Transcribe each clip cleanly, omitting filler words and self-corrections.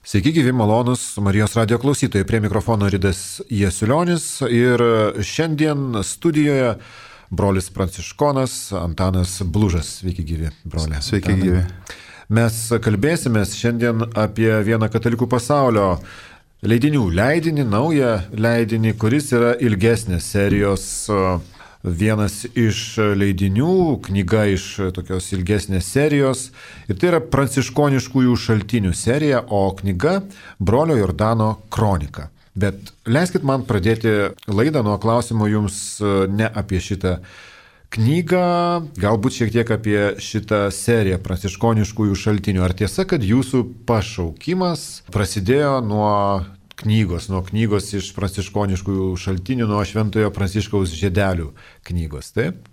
Sveiki, gyvi malonus Marijos radio klausytojai, prie mikrofono Ridas Jasiulionis ir šiandien studijoje brolis pranciškonas Antanas Blužas. Sveiki, gyvi broliai. Sveiki, gyvi. Mes kalbėsimės šiandien apie vieną katalikų pasaulio leidinį, naują leidinį, kuris yra ilgesnės serijos. Vienas iš leidinių, knyga iš tokios ilgesnės serijos, ir tai yra pranciškoniškųjų šaltinių serija, o knyga Brolio Jordano kronika. Bet leiskit man pradėti laidą nuo klausimo jums ne apie šitą knygą, galbūt šiek tiek apie šitą seriją pranciškoniškųjų šaltinių. Ar tiesa, kad jūsų pašaukimas prasidėjo nuo knygos iš pranciškoniškųjų šaltinių, nuo Šventojo Pranciškaus žiedelių knygos, taip?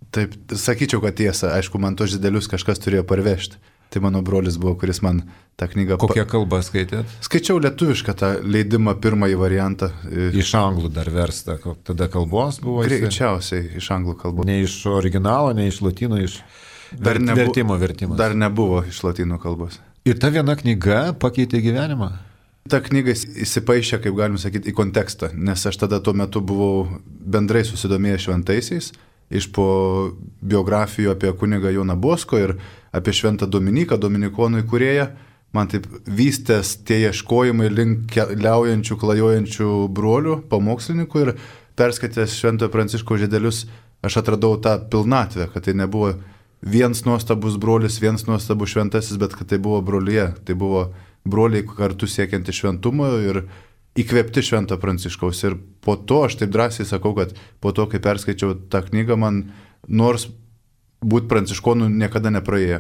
Taip, sakyčiau, kad tiesa. Aišku, man tos žiedelius kažkas turėjo parvežti. Tai mano brolis buvo, kuris man tą knygą... Kokią kalbą skaitėt? Skaičiau lietuvišką tą leidimą, pirmąjį variantą. Iš anglų dar versta. Tada kalbos buvo? Greičiausiai iš anglų kalbos. Ne iš originalo, ne iš lotynų, iš vertimo. Dar nebuvo iš lotynų kalbos. Ir ta viena knyga pakeitė gyvenimą? Ta knyga įsipaišė, kaip galim sakyti, į kontekstą, nes aš tada tuo metu buvau bendrai susidomėjęs šventaisiais, iš po biografijų apie kunigą Joną Bosko ir apie šventą Dominiką, dominikonų įkūrėją, man taip vystės tie ieškojimai link keliaujančių, klajojančių brolių, pamokslininkų, ir perskaitęs Šventojo Pranciškaus žiedelius, aš atradau tą pilnatvę, kad tai nebuvo vienas nuostabus brolis, vienas nuostabus šventasis, bet kad tai buvo brolyje, tai buvo broliai kartu siekianti šventumo ir įkvėpti Švento Pranciškaus. Ir po to, aš taip drąsiai sakau, kad po to, kai perskaičiau tą knygą, man nors būti pranciškonu niekada nepraėjo.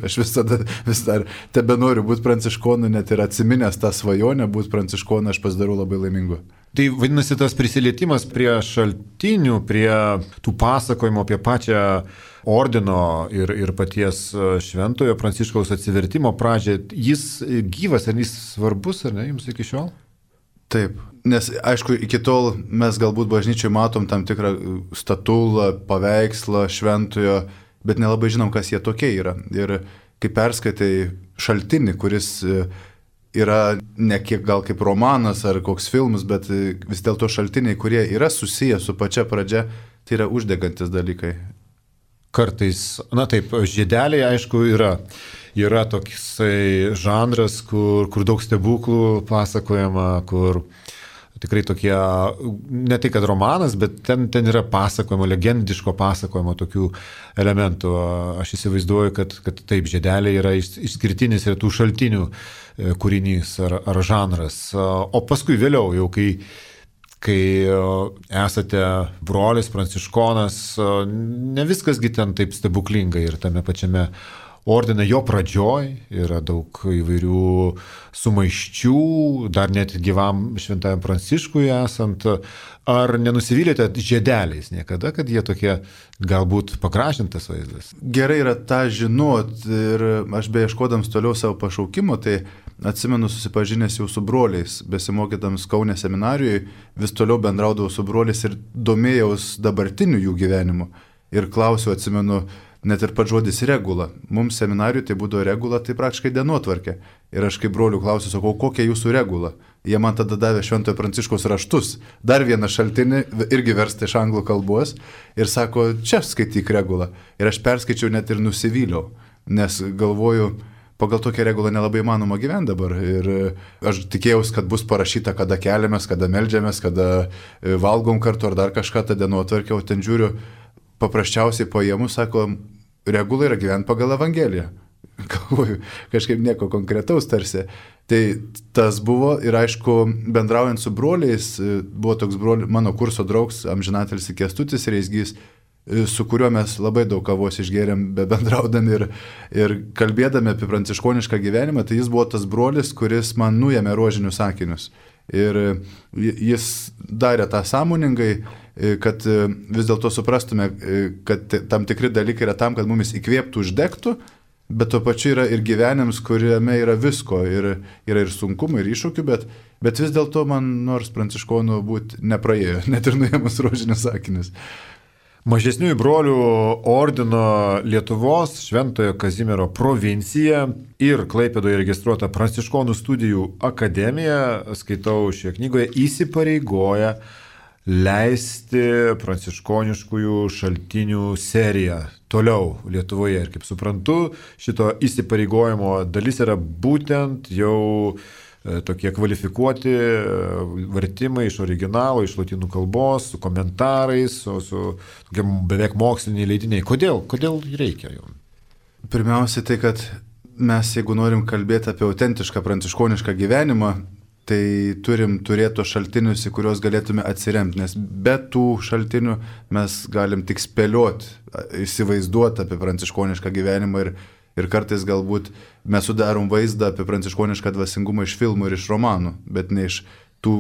Aš vis dar tebe noriu būti pranciškonu, net ir atsiminęs tą svajonę būti pranciškonu, aš pasidarau labai laimingu. Tai vadinasi, tas prisilietimas prie šaltinių, prie tų pasakojimų apie pačią ordino ir paties Šventojo Pranciškaus atsivertimo pradžią, jis gyvas, ar jis svarbus, ar ne, jums iki šiol? Taip, nes aišku, iki tol mes galbūt bažnyčiai matom tam tikrą statulą, paveikslą Šventojo, bet nelabai žinom, kas jie tokie yra. Ir kai perskaitai šaltinį, kuris yra ne kiek gal kaip romanas ar koks filmas, bet vis dėlto šaltiniai, kurie yra susiję su pačia pradžia, tai yra uždegantis dalykai. Kartais, na taip, žiedeliai aišku yra toksai žanras, kur daug stebuklų pasakojama, kur tikrai tokie, ne tai kad romanas, bet ten yra pasakojimo, legendiško pasakojimo tokių elementų. Aš įsivaizduoju, kad taip, žiedeliai yra išskirtinis ir tų šaltinių kūrinys ar žanras. O paskui vėliau, jau kai esate brolis, pranciškonas, ne viskasgi ten taip stebuklingai ir tame pačiame ordine jo pradžioj yra daug įvairių sumaiščių, dar net gyvam Šventajam Pranciškui esant. Ar nenusivylėte žiedeliais niekada, kad jie tokie galbūt pagražintas vaizdas? Gerai yra tą žinot, ir aš beieškodams toliau savo pašaukimo, tai atsimenu susipažinęs jau su broliais, besimokydams Kaune seminarijoje, vis toliau bendraudavau su broliais ir domėjaus dabartiniu jų gyvenimu. Ir klausiau, atsimenu, net ir pats žodis regula. Mums seminarijoje tai būdavo regula, tai praktiškai dienotvarkė. Ir aš kaip brolių klausiu, sakau, kokia jūsų regula? Jie man tada davė Šventojo Pranciškaus raštus, dar vieną šaltinį, irgi verstą iš anglų kalbos, ir sako, čia skaityk regulą. Ir aš perskaičiau net ir nusivyliau, nes galvoju, pagal tokią regulą nelabai įmanoma gyventi dabar. Ir aš tikėjausi, kad bus parašyta, kada keliamės, kada meldžiamės, kada valgom kartu ar dar kažką, tą dienotvarkę, o ten žiūriu, paprasčiausiai paėmus, sako, regula yra gyventi pagal Evangeliją. Galvoju, kažkaip nieko konkretaus tarsi. Tai tas buvo ir aišku, bendraujant su broliais, buvo toks mano kurso draugs, amžinatelis Kęstutis Reisgys, su kuriuo mes labai daug kavos išgėrėm, bendraudami ir kalbėdami apie pranciškonišką gyvenimą, tai jis buvo tas brolis, kuris man nuėmė rožinius akinius. Ir jis darė tą sąmoningai, kad vis dėlto suprastume, kad tam tikri dalykai yra tam, kad mumis įkvėptų, uždegtų, bet tuo pačiu yra ir gyvenims, kuriame yra visko, ir yra ir sunkumų, ir iššūkių, bet vis dėlto man nors pranciškonų būti nepraėjo, net ir nuėmus rožinius akinius. Mažesniųjų brolių ordino Lietuvos Šventojo Kazimiero provincija ir Klaipėdoje registruota Pranciškonų studijų akademija, skaitau šioje knygoje, įsipareigoja leisti pranciškoniškųjų šaltinių seriją toliau Lietuvoje. Ir kaip suprantu, šito įsipareigojimo dalis yra būtent jau tokie kvalifikuoti vertimai iš originalo, iš lotynų kalbos, su komentarais, su beveik moksliniai leidiniai. Kodėl reikia jų? Pirmiausia, tai kad mes, jeigu norim kalbėti apie autentišką pranciškonišką gyvenimą, tai turim turėti tos šaltinius, į kuriuos galėtume atsiremti, nes be tų šaltinių mes galim tik spėlioti, įsivaizduoti apie pranciškonišką gyvenimą ir kartais galbūt mes sudarom vaizdą apie pranciškonišką dvasingumą iš filmų ir iš romanų, bet ne iš tų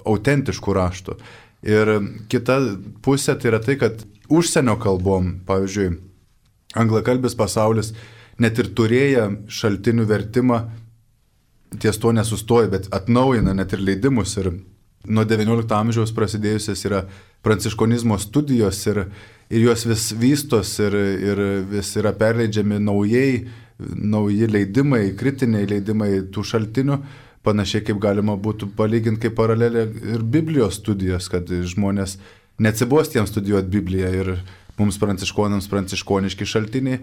autentiškų raštų. Ir kita pusė tai yra tai, kad užsienio kalbom, pavyzdžiui, anglakalbis pasaulis, net ir turėję šaltinių vertimą, ties to nesustoja, bet atnaujina net ir leidimus. Ir nuo XIX amžiaus prasidėjusios yra pranciškonizmo studijos ir jos vis vystos ir vis yra perleidžiami nauji leidimai, kritiniai leidimai tų šaltinių, panašiai kaip galima būtų palyginti kaip paralelė ir Biblijos studijos, kad žmonės neatsibos tiems studijuoti Bibliją ir mums pranciškonams pranciškoniški šaltiniai.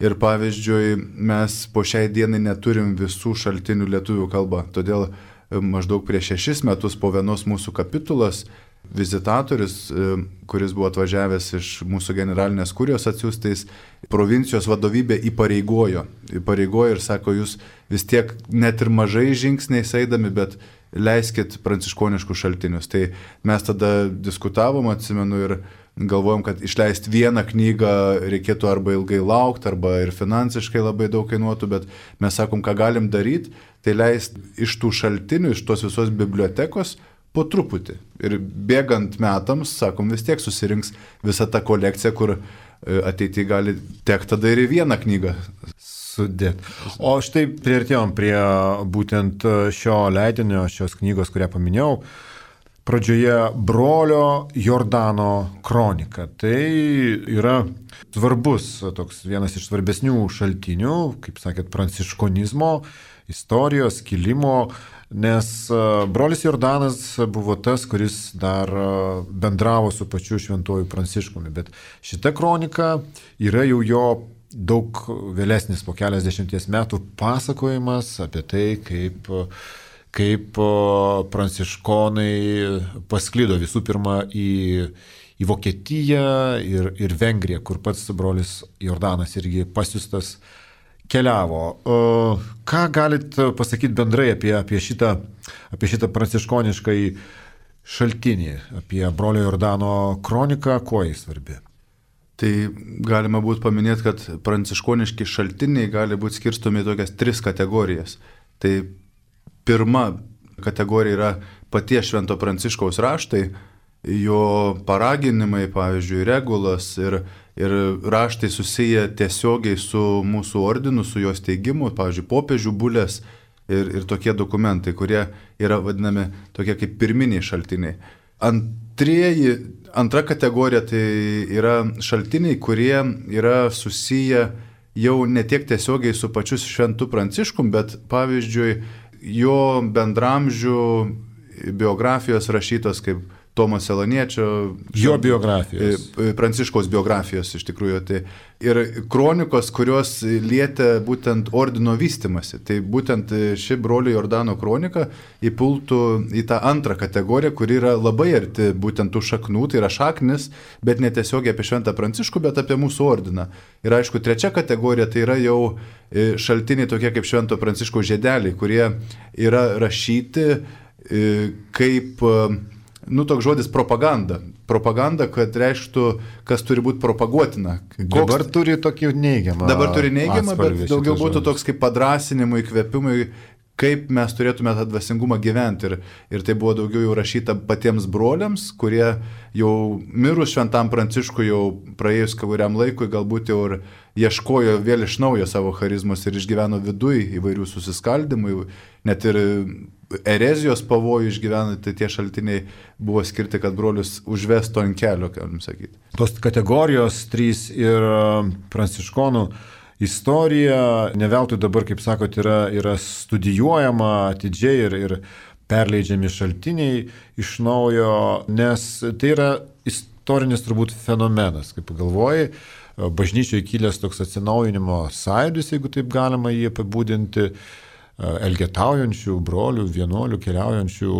Ir pavyzdžiui, mes po šiai dienai neturim visų šaltinių lietuvių kalba, todėl maždaug prieš 6 metus po vienos mūsų kapitulos vizitatorius, kuris buvo atvažiavęs iš mūsų generalinės kurijos atsiųstais, provincijos vadovybė įpareigojo ir sako, jūs vis tiek net ir mažai žingsniais eidami, bet leiskit pranciškoniškus šaltinius. Tai mes tada diskutavom, atsimenu, ir galvojom, kad išleisti vieną knygą reikėtų arba ilgai laukti, arba ir finansiškai labai daug kainuotų, bet mes sakom, ką galim daryti, tai leisti iš tų šaltinių, iš tos visos bibliotekos po truputį. Ir bėgant metams, sakom, vis tiek susirinks visa ta kolekcija, kur ateityje gali tekti tada ir vieną knygą sudėti. O štai priartėjom prie būtent šio leidinio, šios knygos, kurią paminėjau. Pradžioje brolio Jordano kronika. Tai yra svarbus, toks vienas iš svarbesnių šaltinių, kaip sakėt, pranciškonizmo, istorijos, kilimo, nes brolis Jordanas buvo tas, kuris dar bendravo su pačiu šventuoju Pranciškumi, bet šita kronika yra jau jo daug vėlesnis, po keliasdešimties metų pasakojimas apie tai, kaip pranciškonai pasklido visų pirma į Vokietiją ir Vengriją, kur pats brolis Jordanas irgi pasiųstas keliavo. Ką galit pasakyti bendrai apie šitą pranciškonišką šaltinį, apie brolio Jordano kroniką, kuo jis svarbi? Tai galima būtų paminėti, kad pranciškoniški šaltiniai gali būti skirstomi į tokias 3 kategorijas. Tai pirma kategorija yra paties Švento Pranciškaus raštai, jo paraginimai, pavyzdžiui, regulas ir raštai susiję tiesiogiai su mūsų ordinu, su jos teigimu, pavyzdžiui, popiežių bulės ir tokie dokumentai, kurie yra vadinami tokie kaip pirminiai šaltiniai. Antra kategorija tai yra šaltiniai, kurie yra susiję jau ne tiek tiesiogiai su pačiu Šventu Pranciškum, bet pavyzdžiui, jo bendramžių biografijos rašytos kaip Tomo Seloniečio, jo biografijos, Pranciškaus biografijos iš tikrųjų, tai ir kronikos, kurios lietė būtent ordino vystimasi. Tai būtent ši brolio Jordano kronika įpultų į tą antrą kategoriją, kuri yra labai arti būtent tų šaknų, tai yra šaknis, bet ne tiesiogiai apie Šventą Pranciškų, bet apie mūsų ordiną. Ir aišku, trečia kategorija tai yra jau šaltiniai tokie kaip Švento Pranciškaus žiedeliai, kurie yra rašyti kaip toks žodis propaganda. Propaganda, kad reikštų, kas turi būti propaguotina. Dabar turi tokį neigiamą. Dabar turi neigiamą, bet daugiau būtų toks kaip padrasinimui, įkvėpimui, kaip mes turėtume tą dvasingumą gyventi. Ir tai buvo daugiau jau rašyta patiems broliams, kurie jau mirus šventam Pranciškui, jau praėjus kuriam laikui, galbūt jau ir ieškojo vėl iš naujo savo charizmos ir išgyveno viduj įvairių susiskaldimų, net ir erezijos pavojų išgyveno, tai tie šaltiniai buvo skirti, kad brolius užvestų ant kelio, galim sakyti. Tos kategorijos 3 ir pranciškonų istorija, ne veltui dabar, kaip sakot, yra studijuojama atidžiai ir perleidžiami šaltiniai iš naujo, nes tai yra istorinis turbūt fenomenas, kaip pagalvoji, bažnyčioje kilęs toks atsinaujinimo sąjūdis, jeigu taip galima jį apibūdinti, elgetaujančių brolių, vienuolių, keliaujančių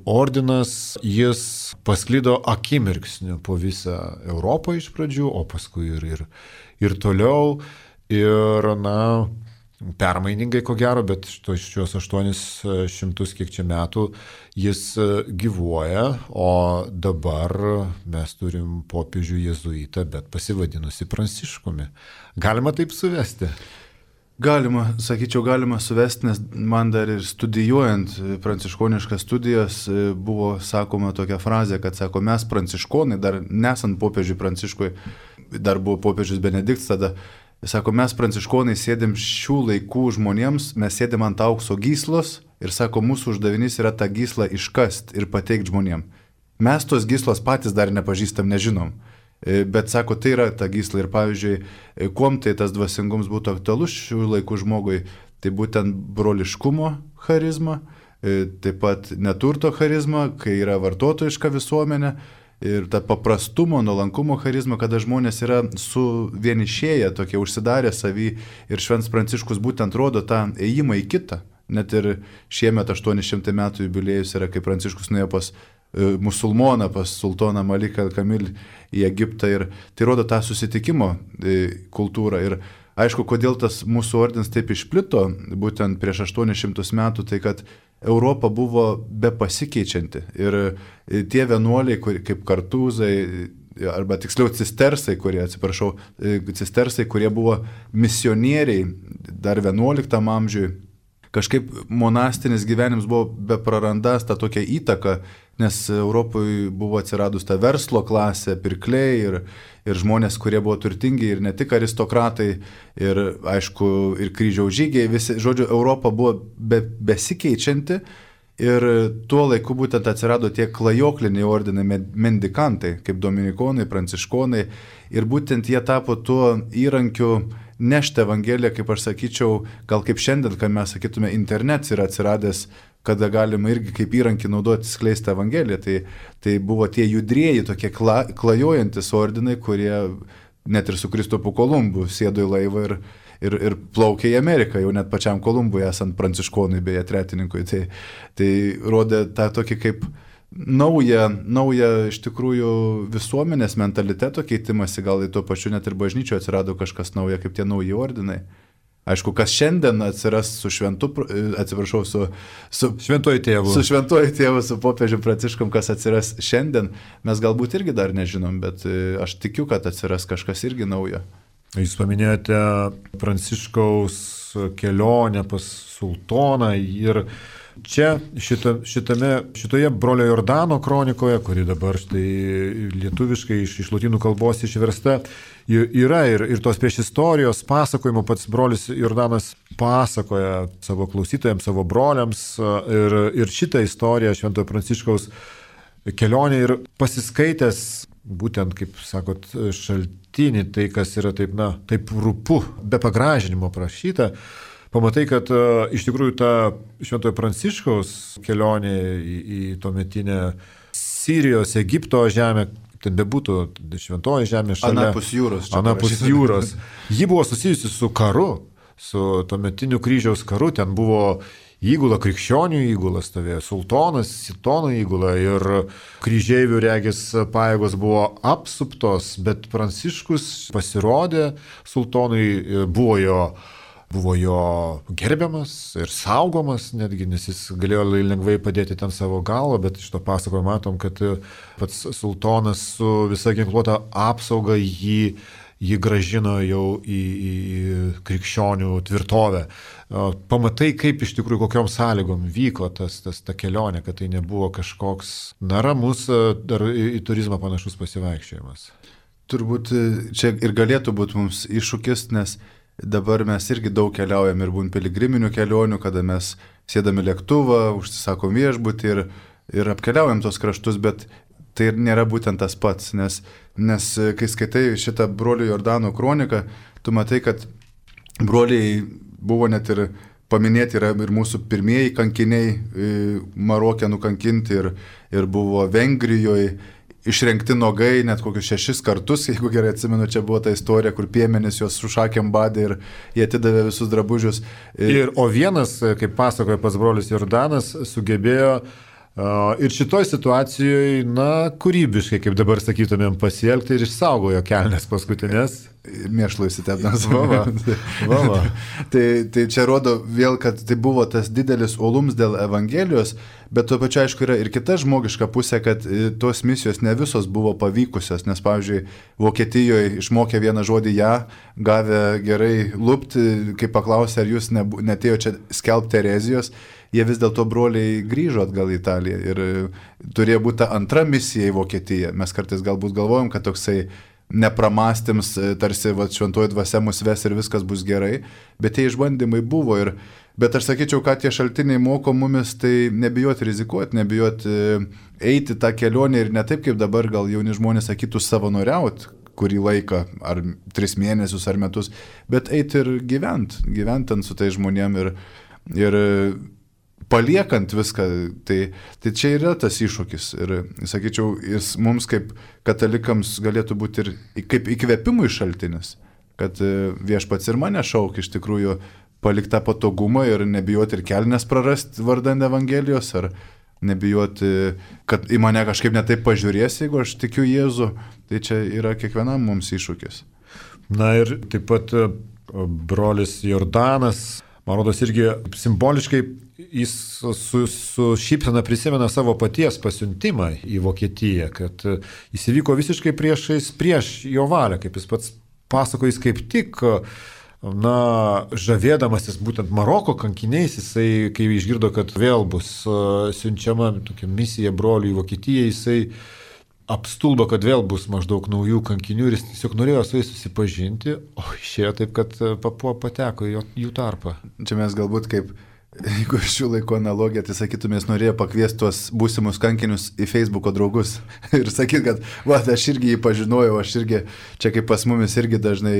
ordinas, jis pasklido akimirksniu po visą Europą iš pradžių, o paskui ir toliau. Ir, permainingai ko gero, bet šios 800 kiek čia metų jis gyvuoja, o dabar mes turim popiežių jėzuitą, bet pasivadinusi Pranciškumi. Galima taip suvesti? Galima, sakyčiau, galima suvesti, nes man dar ir studijuojant pranciškoniškas studijas buvo sakoma tokia frazė, kad sako, mes pranciškonai, dar nesant popiežiui Pranciškui, dar buvo popiežius Benediktas tada, sako, mes pranciškonai sėdėm šių laikų žmonėms, mes sėdėm ant aukso gyslos ir sako, mūsų uždavinys yra tą gyslą iškast ir pateikti žmonėm. Mes tos gyslos patys dar nepažįstam, nežinom. Bet sako, tai yra ta gysla ir pavyzdžiui, kuom tai tas dvasingums būtų aktualus šių laikų žmogui, tai būtent broliškumo charizma, taip pat neturto charizma, kai yra vartotojiška visuomenė, ir ta paprastumo, nuolankumo charizma, kada žmonės yra suvienišėję, tokie užsidarę savį ir Šventas Pranciškus būtent rodo tą ėjimą į kitą. Net ir šiemet 800 metų jubiliejus yra, kai Pranciškus nuėjo pas musulmoną, pas sultoną Maliką Kamil į Egiptą ir tai rodo tą susitikimo kultūrą. Ir aišku, kodėl tas mūsų ordinas taip išplito, būtent prieš 800 metų, tai kad Europa buvo be pasikeičianti ir tie vienuoliai, kaip kartūzai, arba tiksliau cistersai, kurie buvo misionieriai dar 11 amžiui, kažkaip monastinis gyvenimas buvo beprarandas tą tokią įtaką, nes Europoje buvo atsiradus ta verslo klasė, pirkliai ir žmonės, kurie buvo turtingi ir ne tik aristokratai, ir aišku, ir kryžiaus žygiai, visi, žodžiu, Europa buvo besikeičianti ir tuo laiku būtent atsirado tie klajokliniai ordinai mendikantai, kaip dominikonai, pranciškonai, ir būtent jie tapo tuo įrankiu nešti Evangeliją, kaip aš sakyčiau, gal kaip šiandien, kai mes sakytume, internetas yra atsiradęs, kada galima irgi kaip įrankį naudoti skleisti Evangeliją. Tai buvo tie judrieji, tokie klajojantis ordinai, kurie net ir su Kristupu Kolumbu sėdo į laivą ir plaukė į Ameriką, jau net pačiam Kolumbui esant pranciškonui, beje, tretininkui. Tai rodė tą tokį kaip naują iš tikrųjų visuomenės mentaliteto keitimąsi, gal į tuo pačiu net ir bažnyčioje atsirado kažkas nauja, kaip tie nauji ordinai. Aišku, kas šiandien atsiras su Šventuoju Tėvu. Su Šventuoju Tėvu, su popiežiu Pranciškum, kas atsiras šiandien, mes galbūt irgi dar nežinom, bet aš tikiu, kad atsiras kažkas irgi naujo. Jūs paminėjote Pranciškaus kelionę pas sultoną ir čia šitoje brolio Jordano kronikoje, kuri dabar štai lietuviškai iš lotynų kalbos išversta, yra ir tos prieš istorijos pasakojimo pats brolis Jordanas pasakoja savo klausytojams, savo broliams ir šitą istoriją Šventojo Pranciškaus kelionę ir pasiskaitęs būtent, kaip sakot, šaltinį, tai kas yra taip rūpu, be pagražinimo prašyta, pamatai, kad iš tikrųjų ta Šventojo Pranciškaus kelionė į tuometinę Sirijos, Egipto žemę, ten bebūtų šventoji žemė šalia. Anapus jūros. Ji buvo susijusi su karu, su tuometiniu kryžiaus karu, ten buvo įgula, krikščionių įgula stovėjo, sultonas, Sitono įgula ir kryžeivių regis pajėgos buvo apsuptos, bet Pranciškus pasirodė sultonui, buvo jo gerbiamas ir saugomas netgi, nes jis galėjo lengvai padėti ten savo galvą, bet iš to pasakojimo matom, kad pats sultonas su visa ginkluota apsauga jį jį gražino jau į krikščionių tvirtovę. Pamatai, kaip iš tikrųjų kokiom sąlygom vyko ta kelionė, kad tai nebuvo kažkoks ramus dar į turizmą panašus pasivaikščiojimas. Turbūt čia ir galėtų būti mums iššūkis, nes dabar mes irgi daug keliaujam ir būn piligriminių kelionių, kada mes sėdame lėktuvą, užsisakom viešbutį ir apkeliaujam tos kraštus, bet tai nėra būtent tas pats, nes kai skaitai šitą brolių Jordano kroniką, tu matai, kad broliai buvo net ir paminėti yra ir mūsų pirmieji kankiniai Marokė nukankinti ir buvo Vengrijoje išrengti nogai net kokius 6 kartus, jeigu gerai atsimenu, čia buvo ta istorija, kur piemenys juos su šakėm badė ir jie atidavė visus drabužius. O vienas, kaip pasakoja pats brolis Jordanas, sugebėjo ir šitoj situacijoje, kūrybiškai, kaip dabar sakytumėm, pasielgti ir išsaugojo kelnes paskutinės. Mėšlų įsitepdamas. Va. Tai čia rodo vėl, kad tai buvo tas didelis uolums dėl Evangelijos, bet tuo pačiu aišku yra ir kita žmogiška pusė, kad tos misijos ne visos buvo pavykusios, nes pavyzdžiui, Vokietijoje išmokė vieną žodį ją, gavę gerai lupti, kai paklausė, ar jūs netėjo čia skelbti erezijos, jie vis dėlto broliai grįžo atgal į Italiją ir turėjo būti ta antra misija į Vokietiją. Mes kartais galbūt galvojam, kad toksai nepramastėms, tarsi šventoji dvasia mus ves ir viskas bus gerai, bet tie išbandymai buvo. Bet aš sakyčiau, kad tie šaltiniai moko mumis, tai nebijoti rizikuoti, nebijoti eiti tą kelionę ir ne taip, kaip dabar gal jauni žmonės sakytų savanoriauti kurį laiką, ar 3 mėnesius, ar metus, bet eiti ir gyventi su tai žmonėm ir paliekant viską, tai čia yra tas iššūkis. Ir, sakyčiau, jis mums kaip katalikams galėtų būti ir kaip įkvėpimui šaltinis, kad viešpats ir mane šaukia iš tikrųjų palikti tą patogumą ir nebijoti ir kelnes prarasti vardan Evangelijos, ar nebijoti, kad į mane kažkaip netaip pažiūrės, jeigu aš tikiu Jėzų. Tai čia yra kiekvienam mums iššūkis. Na ir taip pat brolis Jordanas, man rodos, irgi simboliškai jis su šypsena prisimena savo paties pasiuntimą į Vokietiją, kad jis įvyko visiškai prieš jo valią, kaip jis pats pasakojais, kaip tik, žavėdamasis būtent Maroko kankiniais, jisai, kai išgirdo, kad vėl bus siunčiama tokia misija brolių į Vokietiją, jisai apstulbo, kad vėl bus maždaug naujų kankinių ir jis tiesiog norėjo su jais susipažinti, o išėjo taip, kad pateko į jų tarpą. Čia mes galbūt kaip, jeigu šių laikų analogiją, tai sakytumės, norėjo pakviesti tuos būsimus kankinius į Facebooko draugus ir sakyti, kad aš irgi jį pažinojau, aš irgi, čia kaip pas mumis irgi dažnai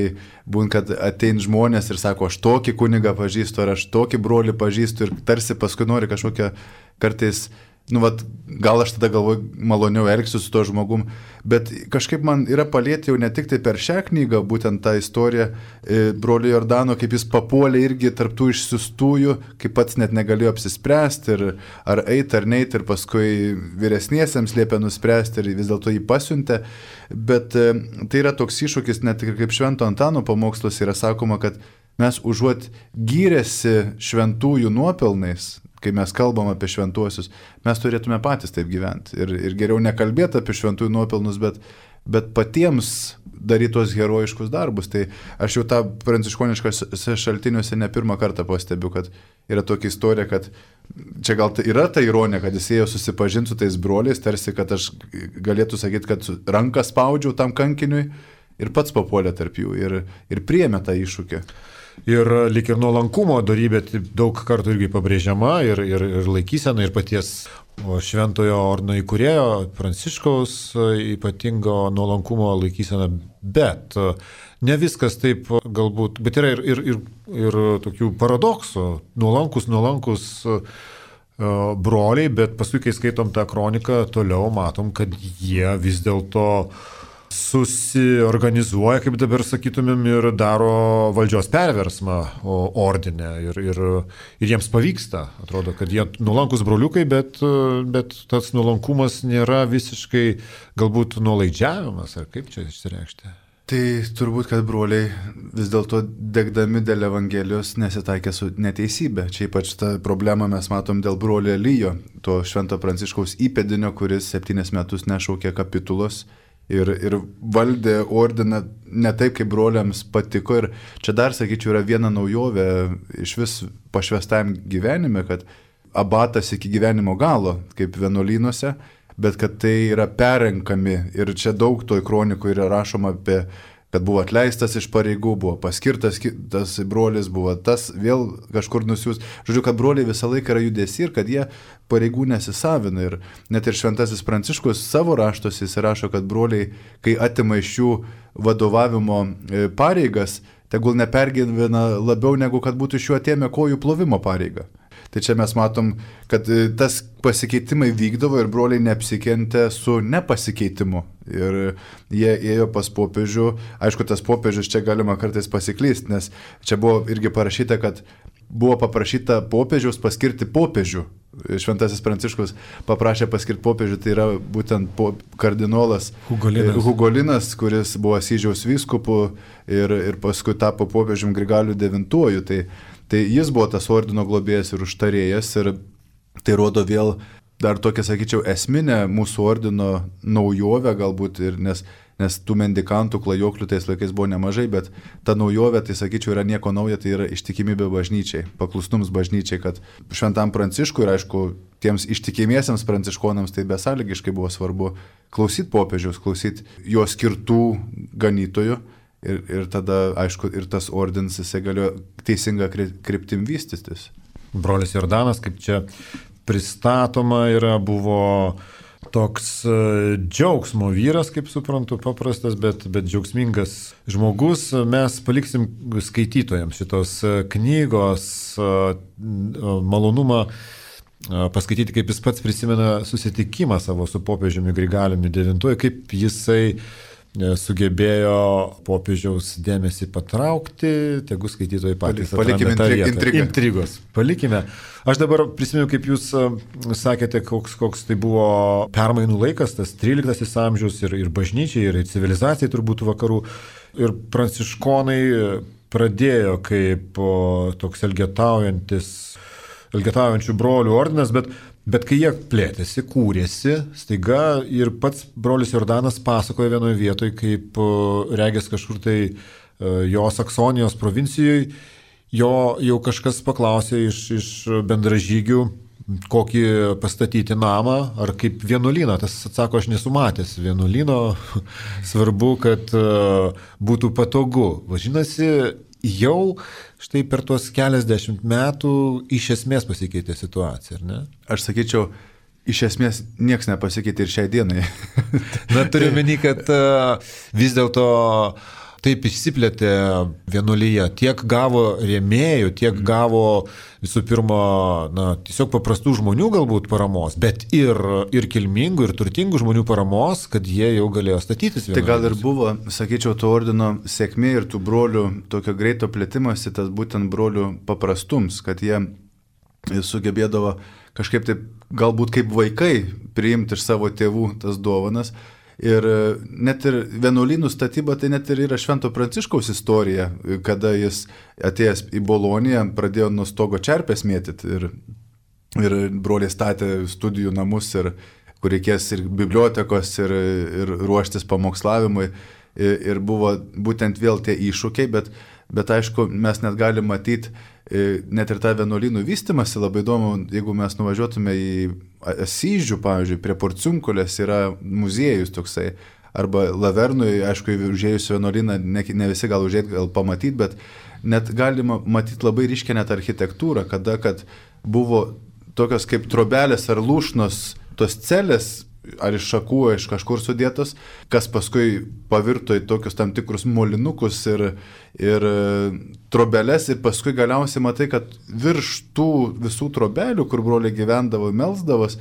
būn, kad atein žmonės ir sako, aš tokį kunigą pažįstu, ar aš tokį brolį pažįstu ir tarsi paskui nori kažkokią kartais, gal aš tada galvoju, maloniau elgsiu su to žmogum, bet kažkaip man yra palėti jau ne tik tai per šią knygą, būtent tą istoriją brolio Jordano, kaip jis papuolė irgi tarptų išsiųstųjų, kaip pats net negalėjo apsispręsti, ar eiti ar neiti, ir paskui vyresniesiems liepė nuspręsti ir vis dėlto jį pasiuntė, bet tai yra toks iššūkis, net ir kaip Švento Antano pamokslas yra sakoma, kad mes užuot gyrėsi šventųjų nuopelnais, kai mes kalbam apie šventuosius, mes turėtume patys taip gyventi. Ir geriau nekalbėti apie šventųjų nuopelnus, bet patiems daryti tos herojiškus darbus. Tai aš jau tą pranciškoniškose šaltiniuose ne pirmą kartą pastebiu, kad yra tokia istorija, kad čia gal yra ta ironija, kad jis ėjo susipažinti su tais broliais, tarsi, kad aš galėtų sakyti, kad ranką spaudžiau tam kankiniui ir pats papuolė tarp jų ir priėmė tą iššūkį. Ir lyg ir nuolankumo dorybė daug kartų irgi pabrėžiama ir laikysena, ir paties šventojo ordino įkūrėjo Pranciškaus ypatingo nuolankumo laikysena, bet ne viskas taip galbūt, bet yra ir tokių paradoksų, nuolankus broliai, bet paskui, kai skaitom tą kroniką, toliau matom, kad jie vis dėlto susiorganizuoja, kaip dabar sakytumėm, ir daro valdžios perversmą ordine ir jiems pavyksta. Atrodo, kad jie nuolankus broliukai, bet tas nuolankumas nėra visiškai galbūt nuolaidžiavimas, ar kaip čia išsireikšti? Tai turbūt, kad broliai vis dėlto degdami dėl Evangelijos nesitaikė su neteisybė. Čia ypač tą problemą mes matom dėl brolio Elijo, to švento Pranciškaus įpėdinio, kuris 7 metus nešaukė kapitulos ir valdė ordiną ne taip, kaip broliams patiko. Ir čia dar, sakyčiau, yra viena naujovė iš vis pašvestajam gyvenime, kad abatas iki gyvenimo galo, kaip vienuolynuose, bet kad tai yra perrenkami. Ir čia daug toj kronikų yra rašoma apie, kad buvo atleistas iš pareigų, buvo paskirtas tas brolis, buvo tas vėl kažkur nusiūs. Žodžiu, kad broliai visą laiką yra judesi ir kad jie pareigų nesisavina. Ir net ir šventasis Pranciškus savo raštuose jis rašo, kad broliai, kai atima iš jų vadovavimo pareigas, tegul nepergyvena labiau negu kad būtų iš jų atėmę kojų plovimo pareigą. Tai čia mes matom, kad tas pasikeitimai vykdavo ir broliai neapsikentė su nepasikeitimu. Ir jie ėjo pas popiežių. Aišku, tas popiežius čia galima kartais pasiklysti, nes čia buvo irgi parašyta, kad buvo paprašyta popiežiaus paskirti popiežių. Šventasis Pranciškus paprašė paskirti popiežių, tai yra būtent kardinolas Hugolinas, kuris buvo Asyžiaus vyskupu ir paskui tapo popiežium Grigaliu IX. Tai jis buvo tas ordino globėjas ir užtarėjas ir tai rodo vėl dar tokia, sakyčiau, esminė mūsų ordino naujovė galbūt, nes tų mendikantų, klajoklių tais laikais buvo nemažai, bet ta naujovė, tai sakyčiau, yra nieko nauja, tai yra ištikimybė bažnyčiai, paklusnums bažnyčiai, kad šventam Pranciškui ir aišku, tiems ištikimiesiems pranciškonams tai besąlygiškai buvo svarbu klausyti popiežiaus, klausyti jo skirtų ganytojų. Ir tada, aišku, ir tas ordinas jisai galėjo teisinga kryptim vystytis. Brolis Jordanas, kaip čia pristatoma yra, buvo toks džiaugsmo vyras, kaip suprantu, paprastas, bet džiaugsmingas žmogus. Mes paliksim skaitytojams šitos knygos malonumą paskaityti, kaip jis pats prisimena susitikimą savo su popiežiumi Grigaliumi IX, kaip jisai sugebėjo popiežiaus dėmesį patraukti, tegu skaitytojai patys palikime intrigos. Palikime. Aš dabar prisimenu, kaip jūs sakėte, koks tai buvo permainų laikas, tas 13 amžius ir bažnyčiai, ir civilizacijai turbūt vakarų. Ir pranciškonai pradėjo kaip toks elgetaujančių brolių ordinas, bet kai jie plėtėsi, kūrėsi, staiga ir pats brolis Jordanas pasakoja vienoje vietoje, kaip regės kažkur tai jo Saksonijos provincijoje, jo jau kažkas paklausė iš bendražygių, kokį pastatyti namą, ar kaip vienuolyną. Tas atsako, aš nesu matęs vienuolyno, svarbu, kad būtų patogu. Vadinasi, jau štai per tuos keliasdešimt metų iš esmės pasikeitė situacija, ar ne? Aš sakyčiau, iš esmės nieks nepasikeitė ir šiai dienai. Na, turiu meni, kad vis dėlto taip išsiplėtė vienuolyje, tiek gavo rėmėjų, tiek gavo visų pirma, tiesiog paprastų žmonių galbūt paramos, bet ir kilmingų, ir turtingų žmonių paramos, kad jie jau galėjo statytis vienuolyje. Tai gal ir buvo, sakyčiau, to ordino sėkmė ir tų brolių tokio greito plėtimasi, tas būtent brolių paprastums, kad jie sugebėdavo kažkaip taip, galbūt kaip vaikai, priimti iš savo tėvų tas dovanas. Ir net ir vienuolynų statyba, tai net ir yra Švento Pranciškaus istorija, kada jis atėjęs į Boloniją pradėjo nuo stogo čerpės mėtyti ir broliai statė studijų namus, kur reikės ir bibliotekos, ir ruoštis pamokslavimui. Ir buvo būtent vėl tie iššūkiai, bet aišku, mes net galime matyti net ir tą vienuolynų vystimąsi. Labai įdomu, jeigu mes nuvažiuotume į Asyžių, pavyzdžiui, prie Porciunkulės yra muziejus toksai, arba Lavernui, aišku, užėjus vienuolyną, ne visi gal užėjti, gal pamatyti, bet net galima matyti labai ryškę net architektūrą, kad buvo tokios kaip trobelės ar lūšnos, tos celės, ar iš šakų, iš kažkur sudėtos, kas paskui pavirto į tokius tam tikrus molinukus ir trobeles, ir paskui galiausiai matai, kad virš tų visų trobelių, kur broliai gyvendavo, melsdavos,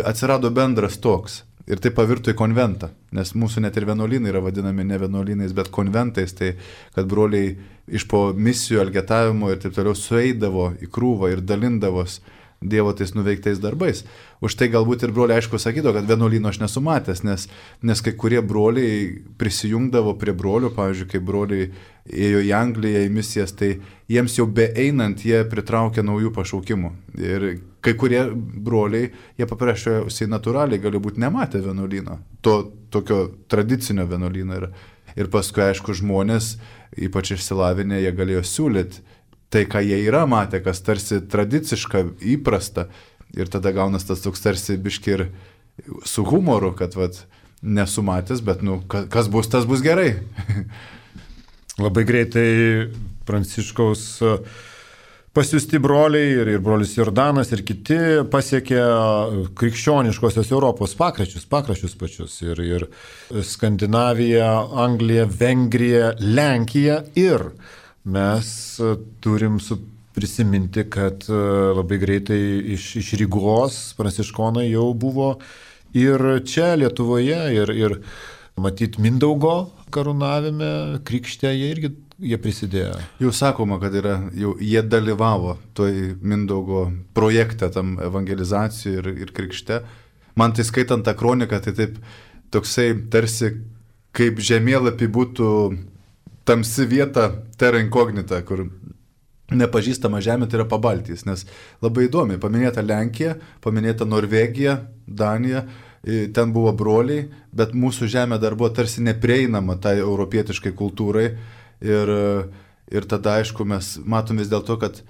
atsirado bendras toks. Ir tai pavirto į konventą, nes mūsų net ir vienuolynai yra vadinami ne vienuolynais, bet konventais, tai kad broliai iš po misijų, elgetavimo ir taip toliau sueidavo į krūvą ir dalindavos Dievo tais nuveiktais darbais. Už tai galbūt ir broliai aišku sakydavo, kad vienuolyno aš nesu matęs, nes kai kurie broliai prisijungdavo prie brolių, pavyzdžiui, kai broliai ėjo į Angliją, į misijas, tai jiems jau beeinant jie pritraukė naujų pašaukimų. Ir kai kurie broliai, jie paprasčiausiai natūraliai gali būti nematę vienuolyno, to tokio tradicinio vienuolyno. Ir paskui, aišku, žmonės, ypač išsilavinę, jie galėjo siūlyti tai, ką jie yra matę, kas tarsi tradiciška, įprasta. Ir tada gaunas tas toks tarsi biški ir su humoru, kad nesu matęs, bet kas bus, tas bus gerai. Labai greitai Pranciškaus pasiųsti broliai ir brolis Jordanas ir kiti pasiekė krikščioniškosios Europos pakraščius pačius. Ir Skandinavija, Anglija, Vengrija, Lenkija ir mes turim prisiminti, kad labai greitai iš Rygos pranciškonai jau buvo ir čia Lietuvoje, ir matyt Mindaugo karūnavime, krikšte jie prisidėjo. Jau sakoma, kad jie dalyvavo toj Mindaugo projekte, tam evangelizacijai ir krikšte. Man tai skaitant tą kroniką, tai taip toksai tarsi kaip žemėlapį būtų tamsi vieta terra incognita, kur nepažįstama žemė, tai yra Pabaltijs, nes labai įdomi, paminėta Lenkija, paminėta Norvegija, Danija, ten buvo broliai, bet mūsų žemė dar buvo tarsi neprieinama tai europietiškai kultūrai ir tada, aišku, mes matom vis dėl to, kad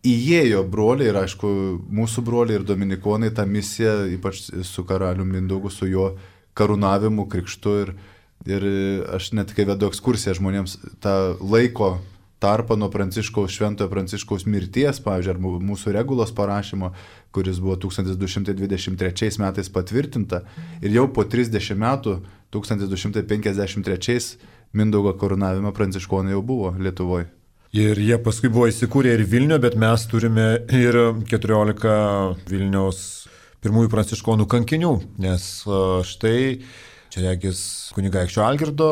įėjo broliai ir, aišku, mūsų broliai ir dominikonai tą misiją, ypač su karaliumi Mindaugu, su jo karūnavimu, krikštu ir aš net kai vedu ekskursiją žmonėms tą laiko tarpą nuo Šventojo Pranciškaus mirties, pavyzdžiui, ar mūsų regulos parašymo, kuris buvo 1223 metais patvirtinta ir jau po 30 metų, 1253 Mindaugo karūnavimo pranciškonai jau buvo Lietuvoje. Ir jie paskui buvo įsikūrę ir Vilniuje, bet mes turime ir 14 Vilniaus pirmųjų pranciškonų kankinių, nes štai čia regis kunigaikščio Algirdo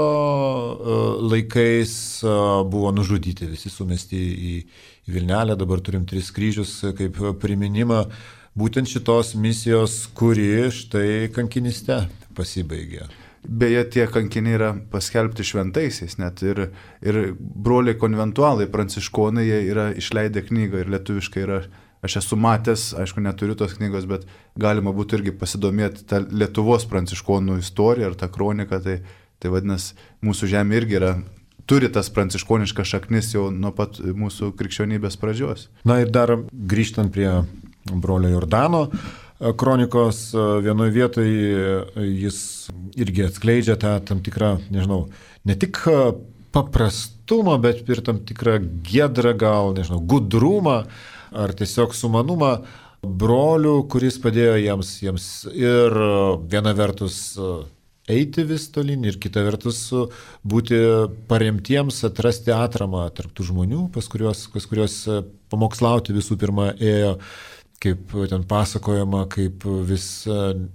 laikais buvo nužudyti, visi sumesti į Vilnelę, dabar turim 3 kryžius kaip priminimą būtent šitos misijos, kuri štai kankiniste pasibaigė. Beje, tie kankiniai yra paskelbti šventaisiais net ir broliai konventualai, pranciškonai, jie yra išleidę knygą ir lietuviškai yra. Aš esu matęs, aišku, neturiu tos knygos, bet galima būtų irgi pasidomėti tą Lietuvos pranciškonų istoriją ar tą kroniką, tai vadinasi, mūsų žemė irgi turi tas pranciškoniškas šaknis jau nuo pat mūsų krikščionybės pradžios. Na ir dar grįžtant prie brolio Jordano kronikos, vienoje vietoje jis irgi atskleidžia tą tam tikrą, nežinau, ne tik paprastumą, bet ir tam tikrą giedrą gal, nežinau, gudrumą, ar tiesiog sumanumą brolių, kuris padėjo jiems ir viena vertus eiti vis tolyn ir kita vertus būti paremtiems, atrasti atramą tarp tų žmonių, pas kuriuos pamokslauti visų pirma ėjo, kaip ten pasakojama, kaip vis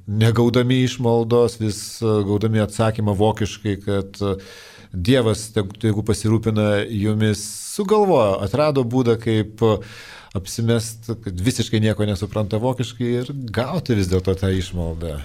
negaudami išmaldos, vis gaudami atsakymą vokiškai, kad Dievas, jeigu pasirūpina jumis, sugalvojo, atrado būdą, kaip apsimest, kad visiškai nieko nesupranta vokiškai ir gauti vis dėlto tą išmaldą.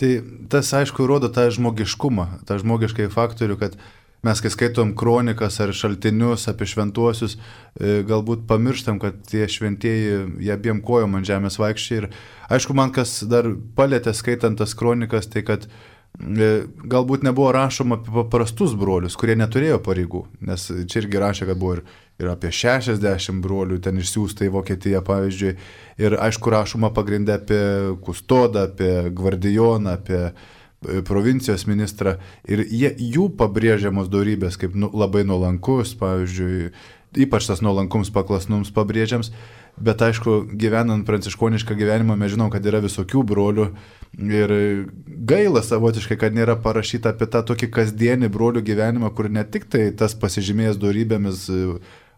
Tai tas, aišku, rodo tą žmogiškumą, tą žmogiškai faktorių, kad mes, kai skaitom kronikas ar šaltinius apie šventuosius, galbūt pamirštam, kad tie šventieji, jie abiem kojom ant žemės vaikščiai. Ir aišku, man kas dar palėtė skaitant tas kronikas, tai kad galbūt nebuvo rašoma apie paprastus brolius, kurie neturėjo pareigų, nes čia irgi rašė, kad buvo ir apie 60 brolių ten išsiųsta į Vokietiją, pavyzdžiui, ir aišku rašoma pagrindė apie kustodą, apie gvardijoną, apie provincijos ministrą, ir jų pabrėžiamos dorybės kaip labai nuolankus, pavyzdžiui, ypač tas nuolankums paklasnums pabrėžiams, bet aišku, gyvenant pranciškonišką gyvenimą, mes žinom, kad yra visokių brolių ir gaila savotiškai, kad nėra parašyta apie tą tokį kasdienį brolių gyvenimą, kur ne tik tai tas pasižymėjęs dorybėmis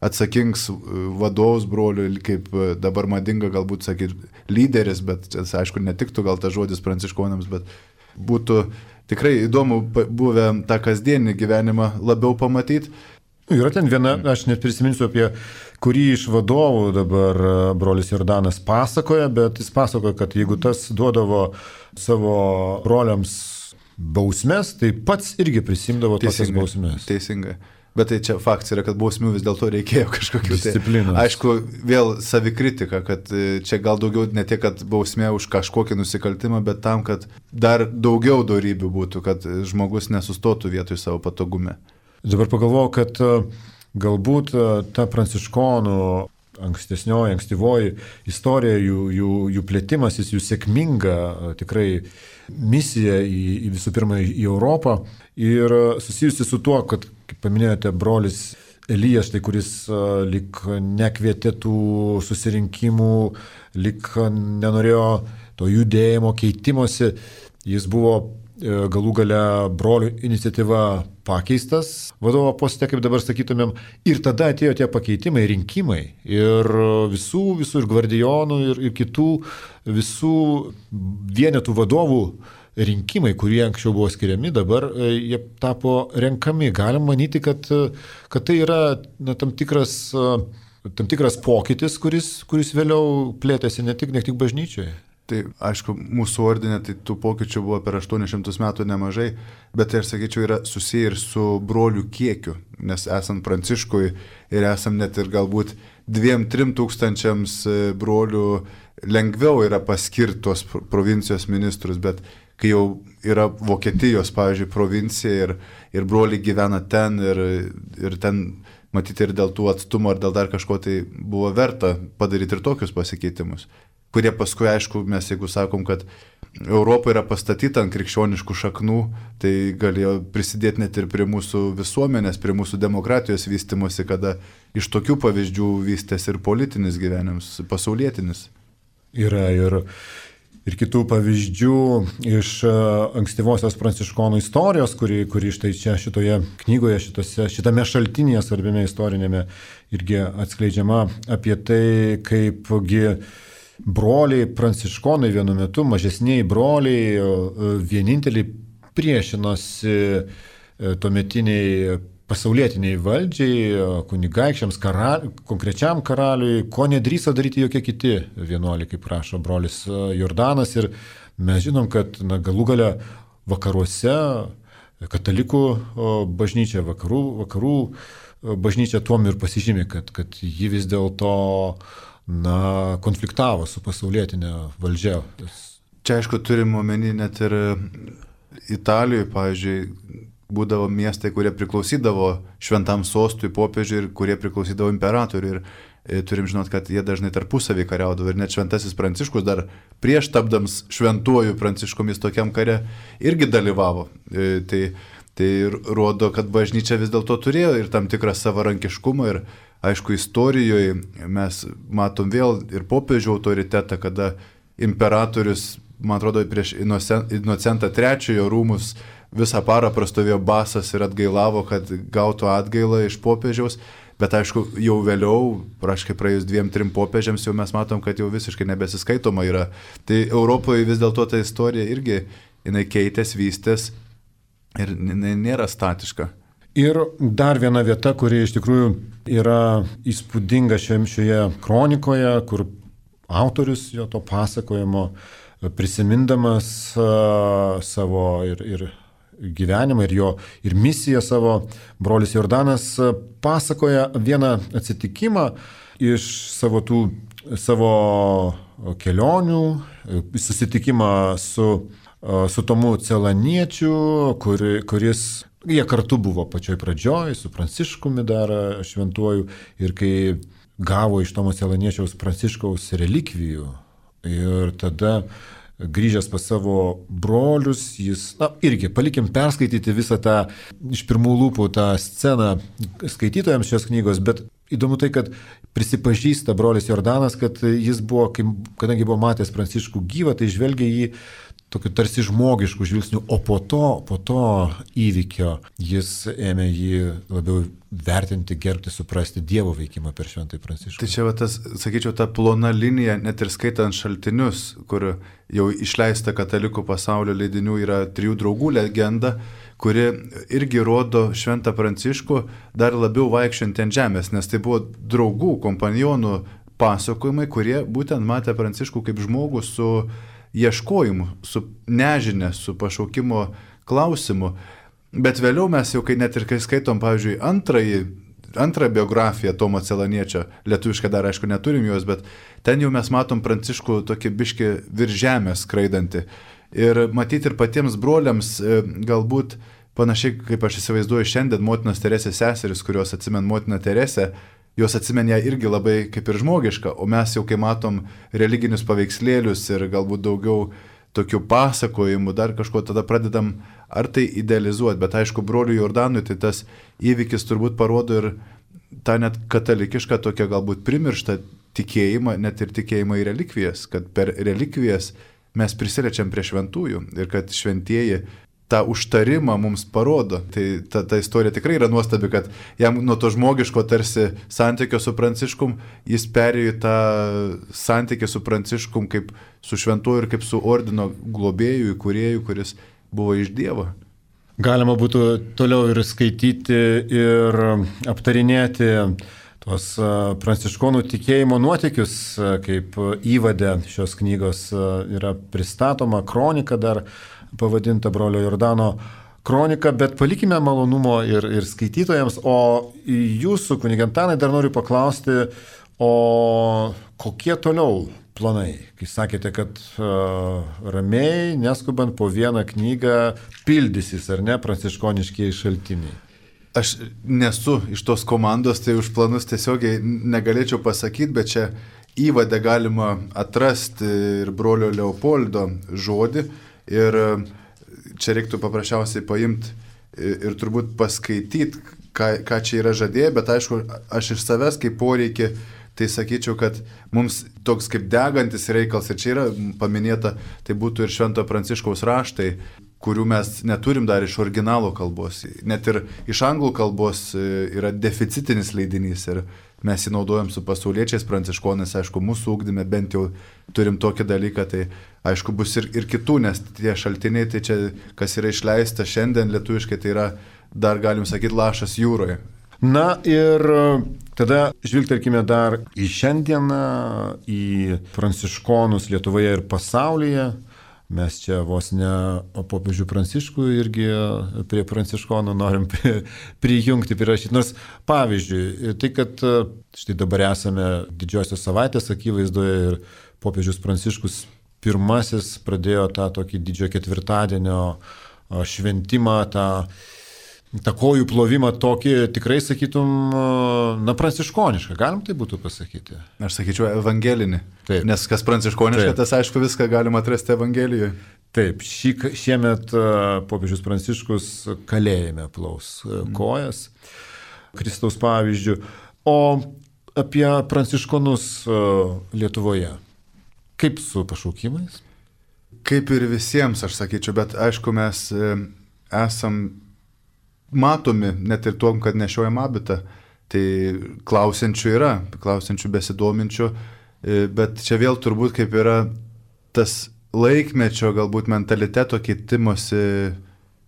atsakings vadovus brolių, kaip dabar madinga galbūt sakyti lyderis, bet aišku, netiktų gal tas žodis pranciškonams, bet būtų tikrai įdomu buvę tą kasdienį gyvenimą labiau pamatyti. Yra ten viena, aš net prisiminsiu apie kurį iš vadovų dabar brolis Jordanas pasakoja, bet jis pasakoja, kad jeigu tas duodavo savo broliams bausmes, tai pats irgi prisimdavo tokias bausmes. Teisingai. Bet tai čia faktas yra, kad bausmių vis dėlto reikėjo kažkokių disciplinos. Tai, aišku, vėl savikritika, kad čia gal daugiau ne tiek, kad bausmė už kažkokį nusikaltimą, bet tam, kad dar daugiau dorybių būtų, kad žmogus nesustotų vietoj savo patogume. Dabar pagalvojau, kad galbūt ta pranciškonų ankstyvoji istorija, jų plėtimasis, jų sėkminga tikrai misija į visų pirma į Europą ir susijusi su tuo, kad, kaip paminėjote, brolis Elijas, tai kuris lyg nekvietė tų susirinkimų, lyg nenorėjo to judėjimo, keitimosi, jis buvo galų gale brolių iniciatyva pakeistas vadovo poste, kaip dabar sakytumėm, ir tada atėjo tie pakeitimai, rinkimai ir visų ir gvardijonų ir kitų visų vienetų vadovų rinkimai, kurie anksčiau buvo skiriami, dabar jie tapo renkami. Galim manyti, kad tai yra tam tikras pokytis, kuris vėliau plėtėsi ne tik bažnyčioje. Tai aišku, mūsų ordine tai tų pokyčių buvo per 800 metų nemažai, bet tai, aš sakyčiau, yra susiję ir su brolių kiekiu, nes esant Pranciškui ir esam net ir galbūt 2-3 tūkstančiams brolių lengviau yra paskirtos provincijos ministrus, bet kai jau yra Vokietijos, pavyzdžiui, provincija ir broliai gyvena ten ir ten matyti ir dėl tų atstumų ar dėl dar kažko, tai buvo verta padaryti ir tokius pasikeitimus, kurie paskui, aišku, mes jeigu sakom, kad Europa yra pastatyta ant krikščioniškų šaknų, tai galėjo prisidėti net ir prie mūsų visuomenės, prie mūsų demokratijos vystymosi, kada iš tokių pavyzdžių vystėsi ir politinis gyvenimas, pasaulietinis. Yra ir kitų pavyzdžių iš ankstyvosios pranciškonų istorijos, kuri štai čia šitoje knygoje, šitame šaltinėje svarbiame istorinėme irgi atskleidžiama apie tai, kaipgi broliai pranciškonai vienu metu, mažesniai broliai, vieninteliai priešinosi tuometiniai pasaulietiniai valdžiai, kunigaikščiams, konkrečiam karaliui, ko nedrįso daryti jokie kiti vienuoliai, kaip prašo brolis Jordanas. Ir mes žinom, kad galų gale vakaruose katalikų bažnyčia, vakarų bažnyčia tuom ir pasižymė, kad ji vis dėlto konfliktavo su pasaulietinė valdžia. Čia, aišku, turim omeny net ir Italijoje, pavyzdžiui, būdavo miestai, kurie priklausydavo šventam sostui, popiežiui ir kurie priklausydavo imperatoriui. Ir turim žinot, kad jie dažnai tarpusavį kariaudavo ir net šventasis Pranciškus dar prieš tapdams šventuoju Pranciškomis tokiam kare irgi dalyvavo. Tai rodo, kad bažnyčia vis dėlto turėjo ir tam tikrą savarankiškumą ir aišku, istorijoje mes matom vėl ir popiežių autoritetą, kada imperatorius, man atrodo, prieš Inocentą III rūmus visą parą prastovėjo basas ir atgailavo, kad gautų atgailą iš popiežiaus, bet aišku, jau vėliau, praškai praėjus 2-3 popiežiams, jau mes matom, kad jau visiškai nebesiskaitoma yra. Tai Europoje vis dėlto ta istorija irgi, jinai keitės, vystės ir nėra statiška. Ir dar viena vieta, kuri iš tikrųjų yra įspūdinga šioje kronikoje, kur autorius jo to pasakojimo prisimindamas savo ir gyvenimą ir misiją savo, brolis Jordanas pasakoja vieną atsitikimą iš savo kelionių, susitikimą su Tomu Celaniečiu, kuris jie kartu buvo pačioj pradžioj, su Pranciškumi dar šventuoju, ir kai gavo iš Tomo Celaniečiaus Pranciškaus relikvijų ir tada grįžęs pas savo brolius, jis, irgi palikim perskaityti visą tą iš pirmų lūpų tą sceną skaitytojams šios knygos, bet įdomu tai, kad prisipažįsta brolis Jordanas, kad jis buvo, kadangi buvo matęs Pranciškų gyvą, tai žvelgia jį tokiu tarsi žmogišku žvilgsniu, o po to įvykio jis ėmė jį labiau vertinti, gerbti, suprasti Dievo veikimą per Šventąjį Pranciškų. Tai čia, tas, sakyčiau, ta plona linija, net ir skaitant šaltinius, kur jau išleista katalikų pasaulio leidinių, yra 3 draugų legenda, kuri irgi rodo Šventą Pranciškų dar labiau vaikščiant ant žemės, nes tai buvo draugų, kompanionų pasakojimai, kurie būtent matė Pranciškų kaip žmogų su ieškojimu, su nežinia, su pašaukimo klausimu. Bet vėliau mes jau, net ir kai skaitom, pavyzdžiui, antrą biografiją Tomo Celaniečio, lietuviškai dar aišku neturim jos, bet ten jau mes matom Pranciškų tokį biškį virš žemės skraidantį. Ir matyti ir patiems broliams galbūt panašiai, kaip aš įsivaizduoju šiandien, motinos Teresės seseris, kurios atsimen motiną Teresę, jos atsimen ją irgi labai kaip ir žmogiška, o mes jau kai matom religinius paveikslėlius ir galbūt daugiau tokių pasakojimų, dar kažko tada pradedam ar tai idealizuoti, bet aišku, broliui Jordanui tai tas įvykis turbūt parodo ir tą net katalikišką tokią galbūt primirštą tikėjimą, net ir tikėjimą į relikvijas, kad per relikvijas mes prisiliečia prie šventųjų ir kad šventieji tą užtarimą mums parodo. Tai ta istorija tikrai yra nuostabi, kad jam nuo to žmogiško tarsi santykio su Pranciškum, jis perėjo į tą santykį su Pranciškum kaip su šventuoju ir kaip su ordino globėjų, įkūrėjų, kuris buvo iš Dievo. Galima būtų toliau ir skaityti ir aptarinėti tuos pranciškonų tikėjimo nuotykius, kaip įvade šios knygos yra pristatoma, kronika dar pavadinta brolio Jordano kronika, bet palikime malonumo ir skaitytojams, o jūsų, kunige Antanai, dar noriu paklausti, o kokie toliau planai? Kai sakėte, kad ramiai, neskubant po vieną knygą pildysis, ar ne, pranciškoniškieji šaltiniai? Aš nesu iš tos komandos, tai už planus tiesiogiai negalėčiau pasakyti, bet čia įvade galima atrasti ir brolio Leopoldo žodį. Ir čia reiktų paprasčiausiai paimti ir turbūt paskaityti, ką čia yra žadėję, bet aišku, aš iš savęs kaip poreikį, tai sakyčiau, kad mums toks kaip degantis reikalas, ir čia yra paminėta, tai būtų ir Švento Pranciškaus raštai, kurių mes neturim dar iš originalo kalbos. Net ir iš anglų kalbos yra deficitinis leidinys ir mes jį naudojam su pasauliečiais pranciškonais, aišku, mūsų ugdyme bent jau turim tokį dalyką, tai aišku bus ir kitų, nes tie šaltiniai, tai čia, kas yra išleista šiandien lietuviškai, tai yra, dar galim sakyti, lašas jūroje. Na ir tada žvilgtelkime dar į šiandieną, į pranciškonus Lietuvoje ir pasaulyje. Mes čia vos ne popiežių Pranciškų irgi prie pranciškonų norim prijungti, prirašyti. Nors pavyzdžiui, tai kad štai dabar esame Didžiosios savaitės akivaizdoje ir popiežius Pranciškus pirmasis pradėjo tą tokį didžiojo ketvirtadienio šventimą, tą kojų plovimą tokį, tikrai sakytum, pranciškonišką, galim tai būtų pasakyti? Aš sakyčiau evangelinį. Taip. Nes kas pranciškoniška, tas aišku viską galima atrasti Evangelijoje. Taip, šiemet popiežius Pranciškus kalėjime plaus kojas, Kristaus pavyzdžių. O apie pranciškonus Lietuvoje, kaip su pašaukimais? Kaip ir visiems, aš sakyčiau, bet aišku, mes esam matomi net ir tuom, kad nešiojam abitą. Tai klausiančių yra, klausiančių besidominčių, bet čia vėl turbūt kaip yra tas laikmečio galbūt mentaliteto keitimosi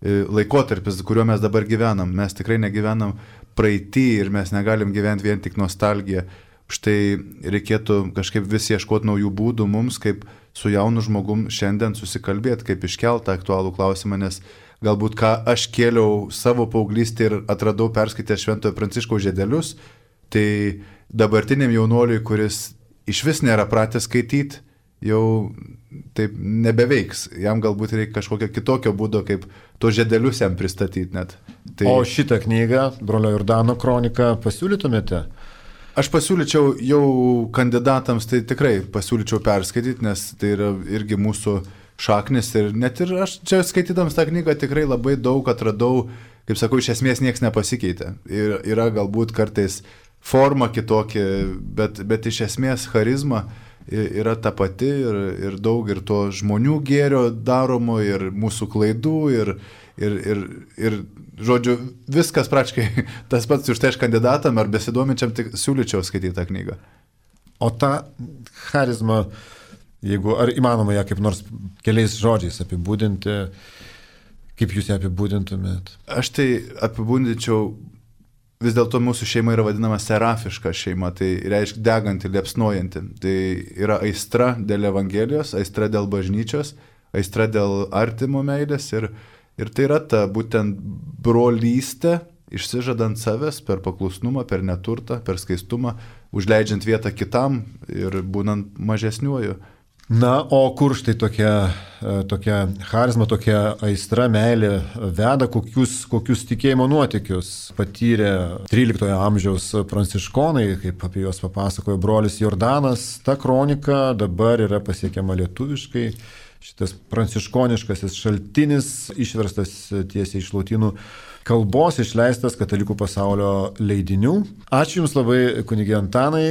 laikotarpis, kuriuo mes dabar gyvenam. Mes tikrai negyvenam praeitį ir mes negalim gyventi vien tik nostalgiją. Štai reikėtų kažkaip vis ieškoti naujų būdų mums, kaip su jaunu žmogum šiandien susikalbėti, kaip iškeltą aktualų klausimą, nes galbūt ką aš kėliau savo paauglystį ir atradau perskaitęs Šventojo Pranciškaus žiedelius, tai dabartiniam jaunuoliui, kuris iš vis nėra pratęs skaityti, jau taip nebeveiks. Jam galbūt reikia kažkokio kitokio būdo, kaip to žiedelius jam pristatyti net. Tai... O šitą knygą, brolio Jordano kroniką, pasiūlytumėte? Aš pasiūlyčiau jau kandidatams, tai tikrai pasiūlyčiau perskaityti, nes tai yra irgi mūsų šaknis ir net ir aš čia skaitydams tą knygą tikrai labai daug atradau, kaip sakau, iš esmės niekas nepasikeitė. Ir yra galbūt kartais forma kitokia, bet iš esmės charizma yra ta pati ir daug ir to žmonių gėrio daromo, ir mūsų klaidų, ir žodžiu, viskas praktiškai tas pats už tai aš kandidatam ar besidominčiam, tik siūlyčiau skaityti tą knygą. O tą charizmą, ar įmanoma ją kaip nors keliais žodžiais apibūdinti, kaip jūs ją apibūdintumėt? Aš tai apibūdinčiau, vis dėlto mūsų šeima yra vadinama serafiška šeima, tai reiškia deganti, liepsnojanti. Tai yra aistra dėl Evangelijos, aistra dėl bažnyčios, aistra dėl artimo meilės ir tai yra ta būtent brolystė, išsižadant savęs per paklusnumą, per neturtą, per skaistumą, užleidžiant vietą kitam ir būnant mažesniuoju. Na, o kur štai tokia charizma, tokia aistra, meilė veda, kokius tikėjimo nuotykius patyrė 13 amžiaus pranciškonai, kaip apie juos papasakojo brolis Jordanas. Ta kronika dabar yra pasiekiama lietuviškai. Šitas pranciškoniškasis šaltinis išverstas tiesiai iš lotynų kalbos, išleistas Katalikų pasaulio leidinių. Ačiū Jums labai, kunige Antanai,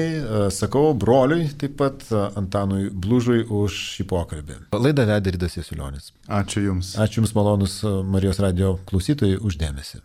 sakau broliui, taip pat Antanui Blužui už šį pokalbį. Laidą vedė Ridas Jasiulionis. Ačiū Jums. Ačiū Jums, malonus Marijos radijo klausytojai, už dėmesį.